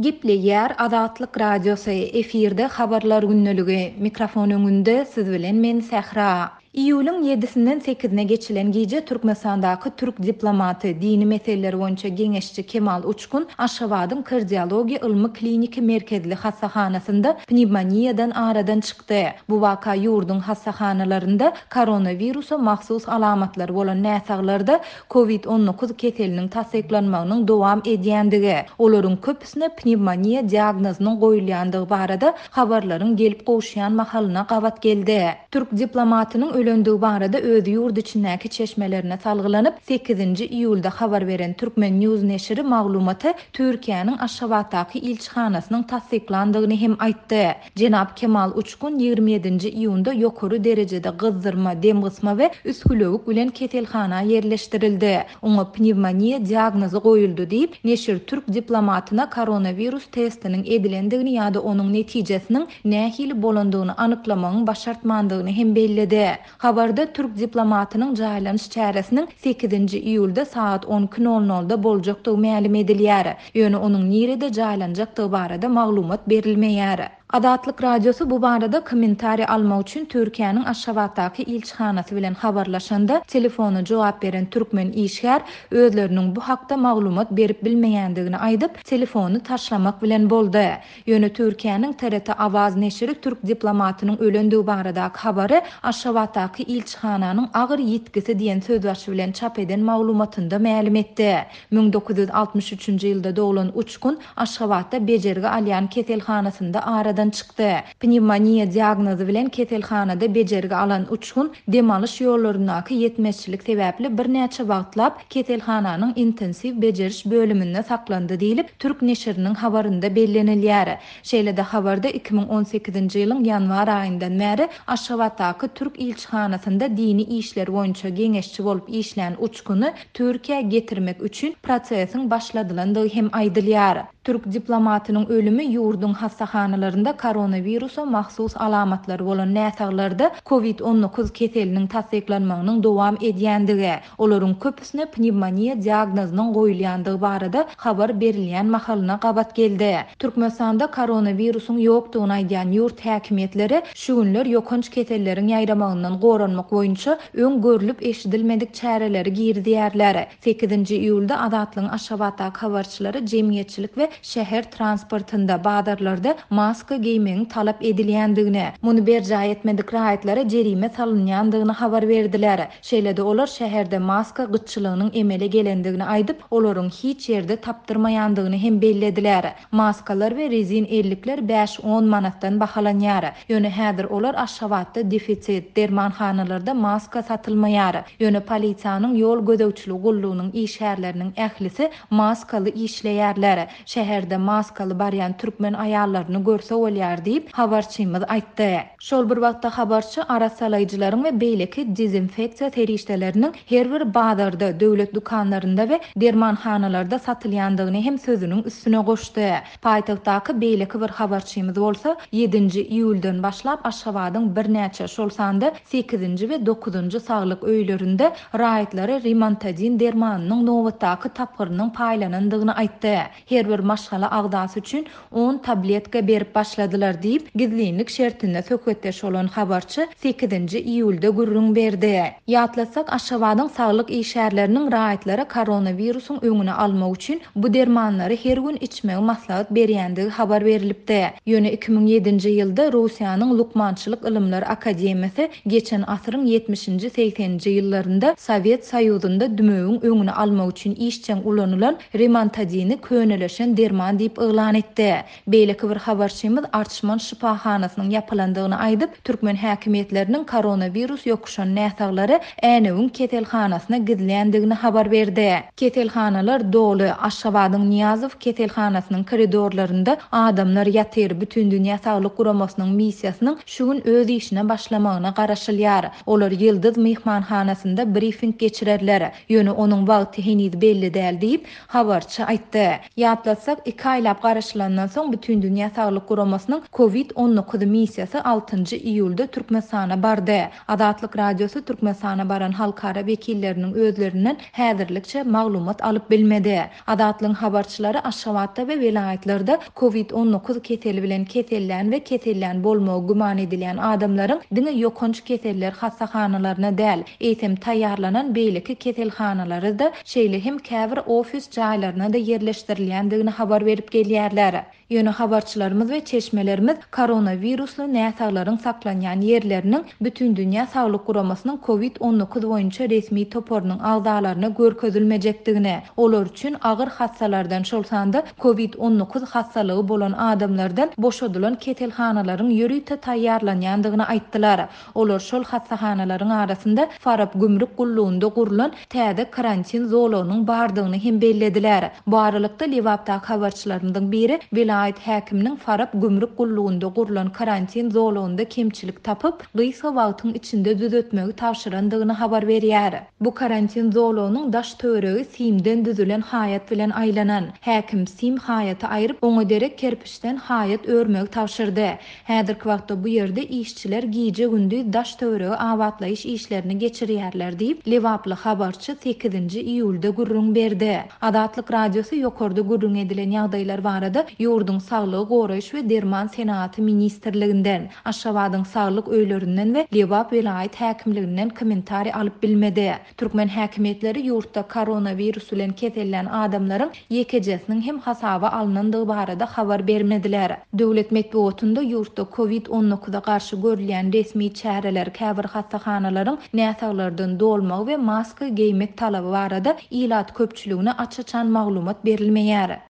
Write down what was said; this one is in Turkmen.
Gepleýär Azatlyk Radiosy, efirde Habarlar gündeligi, mikrofon öňünde siz bilen men Sähra. Iýulyň ýedisinden sekizine geçilen gije Türkmenistandaky türk diplomaty, dini meseleler boýunça geňeşçi Kemal Uçkun Aşgabadyň Kardiologiýa ylmy-kliniki merkezli hassahanasynda pnewmoniýadan aradan çykdy. Bu waka ýurduň hassahanalarynda koronawirusa mahsus alamatlary bolan näsaglarda Covid 19 keseliniň tassyklanmagynyň dowam edýändigi, olaryň köpüsine pnewmoniýa diagnozynyň goýulýandygy barada habarlaryň gelip gowuşýan mahalyna gabat geldi. Türk diplomatynyň ölendigi barada öz ýurt içindäki çeşmelerine salgylanyp, sekizinji iýulda habar beren Turkmen News neşiri maglumaty Türkiýäniň Aşgabatdaky ilçihanasynyň tassyklandygyny hem aýtdy. Jenap Kemal Uçkun 27-nji iýunda ýokary derejede gyzdyrma, demgysma we üsgülewük bilen keselhana ýerleşdirildi. Oňa pnewmoniýa diagnozy goýuldy diýip, neşir türk diplomatyna koronawirus testiniň edilendigini ýa-da onuň netijesiniň nähili bolandygyny anyklamagyň başartmandygyny hem belledi. Habarda türk diplomatynyň jaýlanyş çäresiniň sekizinji iýulda sagat on iki nol nolda boljakdygy mälim edilýär. Ýöne onuň nirede jaýlanjakdygy barada maglumat berilmeýär. Azatlyk Radiosy bu barada kommentariý almak üçin Türkiýäniň Aşgabatdaky ilçihanasy bilen habarlaşanda, telefona jogap beren türkmen işgär özleriniň bu hakda maglumat berip bilmeýändigini aýdyp, telefony taşlamak bilen boldy. Ýöne Türkiýäniň TRT Awaz neşiri türk diplomatynyň ölendigi baradaky habary Aşgabatdaky ilçihananyň agyr ýitgisi diýen sözbaşy bilen çap eden maglumatynda mälim etdi. 1963-nji ýylda doglan Uçkun Aşgabatda bejergi alýan keselhanasynda aradan çykdy. Pnewmoniýa diagnozy bilen keselhanada bejergi alan Uçkun dem alyş ýollaryndaky ýetmezçilik sebäpli birnäçe wagtlap keselhananyň intensiw bejeriş bölüminde saklandy diýlip, türk neşiriniň habarynda bellenilýär. Şeýle-de habarda 2018-nji ýylyň ýanwar aýyndan bäri Aşgabatdaky türk ilçihanasynda dini işler boýunça geňeşçi bolup işlän Uçkuny Türkiýä getirmek üçin prosesiň başladylandygy hem aýdylýar. Türk diplomatynyň ölümi ýurduň hassahanalarynda koronawirusa mahsus alamatlary bolan näsaglarda Covid 19 keseliniň tassyklanmagynyň dowam edýändigi, olaryň köpüsine pnewmoniýa diagnozynyň goýulýandygy barada habar berilýän mahalyna gabat geldi. Türkmenistanda koronawirusyň ýokdugyny aýdýan ýurt häkimiýetleri şu günler ýokanç keselleriň ýaýramagyndan goranmak boýunça öň görlüp-eşidilmedik çäreleri girizýärler. Sekizinji iýulda Azatlygyň Aşgabatdaky habarçylary jemgyýetçilik we şäher transportynda, bazarlarda maska geýmegiň talap edilýändigini, muny berjaý etmedik raýatlara jerime salynýandygyny habar berdiler. Şeýle-de olar şäherde maska gytçylygynyň emele gelendigini aýdyp, olaryň hiç ýerde tapdyrmaýandygyny hem bellediler. Maskalar we rezin ellikler bäş-on manatdan bahalanýar. Ýöne häzir olar Aşgabatda defisit, dermanhanalarda maska satylmaýar. Ýöne polisiýanyň ýol gözegçiligi gullugynyň işgärleriniň ählisi maskaly işleýärler. Şäherde maskaly barýan türkmen aýallaryny görse bolýar diýip, habarçymyz aýtdy. Şol bir wagtda habarçy arassalaýjylaryň we beýleki dezinfeksiýa serişdeleriniň her bir bazarda, döwlet dükanlarynda we dermanhanalarda satylýandygyny hem sözüniň üstüne goşdy. Paýtagtdaky beýleki bir habarçymyz bolsa, ýedinji iýuldan başlap Aşgabadyň birnäçe, şol sanda sekizinji we dokuzynjy saglyk öýlerinde raýatlara rimantadin dermanynyň nobatdaky tapgyrynyň paýlanandygyny aýtdy. Her bir maşgala agzasy üçin on tabletka berip başladylar diýip, gizlinlik şertinde söhbetdeş bolan habarçy sekizinji iýulda gürrüň berdi. Ýatlatsak, Aşgabadyň saglyk işgärleriniň raýatlara koronawirusyň öňüni almak üçin bu dermanlary her gün içmegi maslahat berýändigi habar berlipdi. Ýöne 2007-nji ýylda Russiýanyň Lukmançylyk ylymlar akademiýasy geçen asyryň ýetmişinji-segseninji ýyllarynda Sowet Soýuzynda dümewiň öňüni almak üçin işjeň ulanylan Rimantadini könelişen derman diýip yglan etdi. Beýleki bir habarçymyz Arçman şypahanasynyň ýapylandygyny aýdyp, türkmen häkimiýetleriniň koronawirus ýokuşan näsaglary Änewiň keselhanasyna gizländigini habar berdi. Keselhanalar doly, Aşgabadyň Nyýazow keselhanasynyň koridorlarynda adamlar ýatyr, Bütindünýä Saglyk Guramasynyň missiýasynyň şu gün öz işine başlamagyna garaşylýar. Olar Ýyldyz myhmanhanasynda brifing geçirerler. Ýöne onuň wagty heniz belli däl diýip, habarçy aýtdy. Ýatlatsak. Ýatlasak, iki aýlap garaşylandan soň Bütindünýä Saglyk Guramasynyň Covid 19 missiýasy altynjy iýulda Türkmenistana bardy. Azatlyk Radiosy Türkmenistana baran halkara wekilleriniň özlerinden häzirlikçe maglumat alyp bilmedi. Azatlygyň habarçylary Aşgabatda we welaýatlarda Covid 19 keseli bilen kesellän we kesellän bolmagy güman edilýän adamlaryň diňe ýokanç keseller hassahanalaryna däl, eýsem taýýarlanan beýleki keselhanalara-da, şeýle hem käbir ofis jaýlaryna-da ýerleşdirilýändigini habar berip gelýärler. Ýöne habarçylarymyz we çeşmelerimiz koronawirusly näsaglaryň saklanýan ýerleriniň Bütindünýä Saglyk Guramasynyň Covid 19 boýunça resmi toparynyň agzalaryna görkezilmejekdigini, olar üçin agyr hassalardan, şol sanda Covid 19 hassalygy bolan adamlardan boşadylan keselhanalaryň ýörite taýýarlanýandygyny aýtdylar. Olar şol hassahanalaryň arasynda Farap gümrük gullugynda gurlan täze karantin zolagynyň bardygyny hem bellediler. Bu aralykda, Lebapdaky habarçylarymyzyň biri welaýat häkiminiň Farap gümrük gullugynda gurlan karantin zolagynda kemçilik tapyp, gysga wagtyň içinde düzetmegi tabşyrandygyny habar berýär. Bu karantin zolagynyň daş-töweregi simden düzülen haýat bilen aýlanan. Häkim sim haýaty aýryp, oňa derek kerpiçden haýat örmegi tabşyrdy. Häzirki wagtda bu ýerde işçiler gije-gündiz daş-töweregi abatlaýyş işlerini geçirýärler diýip, lebaply habarçy sekizinji iýulda gürrüň berdi. Azatlyk Radiosy ýokarda gürrüň edilen ýagdaýlar barada ýurduň Saglygy goraýyş we derman senagaty ministrliginden, Aşgabadyň saglyk öýlerinden we Lebap welaýat häkimliginden kommentariý alyp bilmedi. Türkmen häkimiýetleri ýurtda koronawirus bilen kesellän adamlaryň ýekejesiniň hem hasaba alnandygy barada habar bermediler. Döwlet metbugatynda ýurtda Covid 19 garşy görülýän resmi çäreler, käbir hassahanalaryň näsaglardan dolmagy we maska geýmek talaby barada ilat köpçüligine aç-açan maglumat berilmeýär.